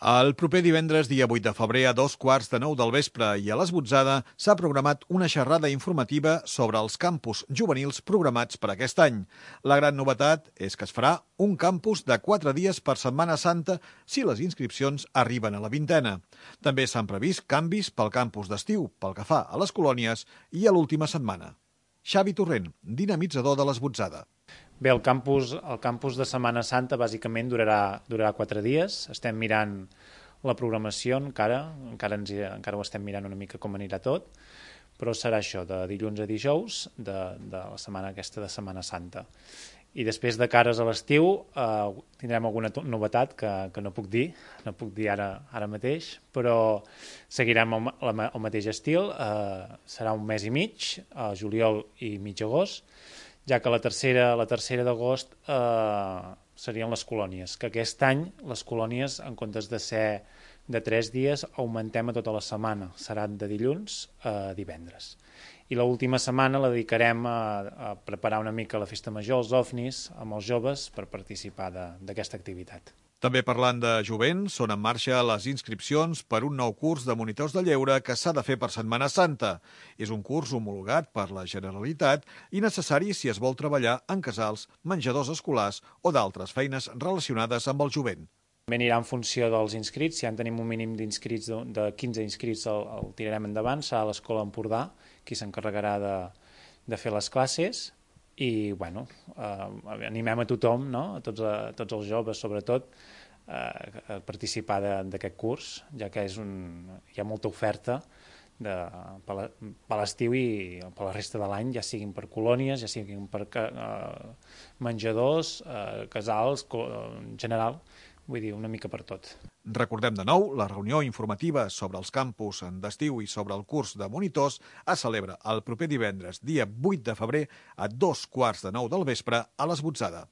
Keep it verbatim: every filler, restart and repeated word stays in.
El proper divendres, dia vuit de febrer, a dos quarts de nou del vespre i a l'Esbotzada, s'ha programat una xerrada informativa sobre els campus juvenils programats per aquest any. La gran novetat és que es farà un campus de quatre dies per Setmana Santa si les inscripcions arriben a la vintena. També s'han previst canvis pel campus d'estiu, pel que fa a les colònies i a l'última setmana. Xavi Torrent, dinamitzador de l'Esbotzada. Bé, el campus, el campus de Setmana Santa bàsicament durarà, durarà quatre dies. Estem mirant la programació encara, encara, ens, encara ho estem mirant una mica com anirà tot, però serà això, de dilluns a dijous, de, de la setmana aquesta de Setmana Santa. I després de cares a l'estiu eh, tindrem alguna novetat que, que no puc dir, no puc dir ara, ara mateix, però seguirem el, el mateix estil, eh, serà un mes i mig, a juliol i mig agost, ja que la tercera, la tercera d'agost eh, serien les colònies, que aquest any les colònies, en comptes de ser de tres dies, augmentem a tota la setmana, seran de dilluns a divendres. I l'última setmana la dedicarem a, a preparar una mica la festa major, els ofnis, amb els joves, per participar d'aquesta activitat. També parlant de jovent, són en marxa les inscripcions per un nou curs de monitors de lleure que s'ha de fer per Setmana Santa. És un curs homologat per la Generalitat i necessari si es vol treballar en casals, menjadors escolars o d'altres feines relacionades amb el jovent. També anirà en funció dels inscrits. Si ja en tenim un mínim d'inscrits, de quinze inscrits, el, el tirarem endavant. Serà l'Escola Empordà qui s'encarregarà de, de fer les classes. I bueno, eh, animem a tothom, no? a, tots, a tots els joves sobretot, eh, a participar d'aquest curs, ja que és un, hi ha molta oferta de, per l'estiu i per la resta de l'any, ja siguin per colònies, ja siguin per eh, menjadors, eh, casals, en general, vull dir, una mica per tot. Recordem de nou, la reunió informativa sobre els campus d'estiu i sobre el curs de monitors es celebra el proper divendres, dia vuit de febrer, a dos quarts de nou del vespre a l'Esbotzada.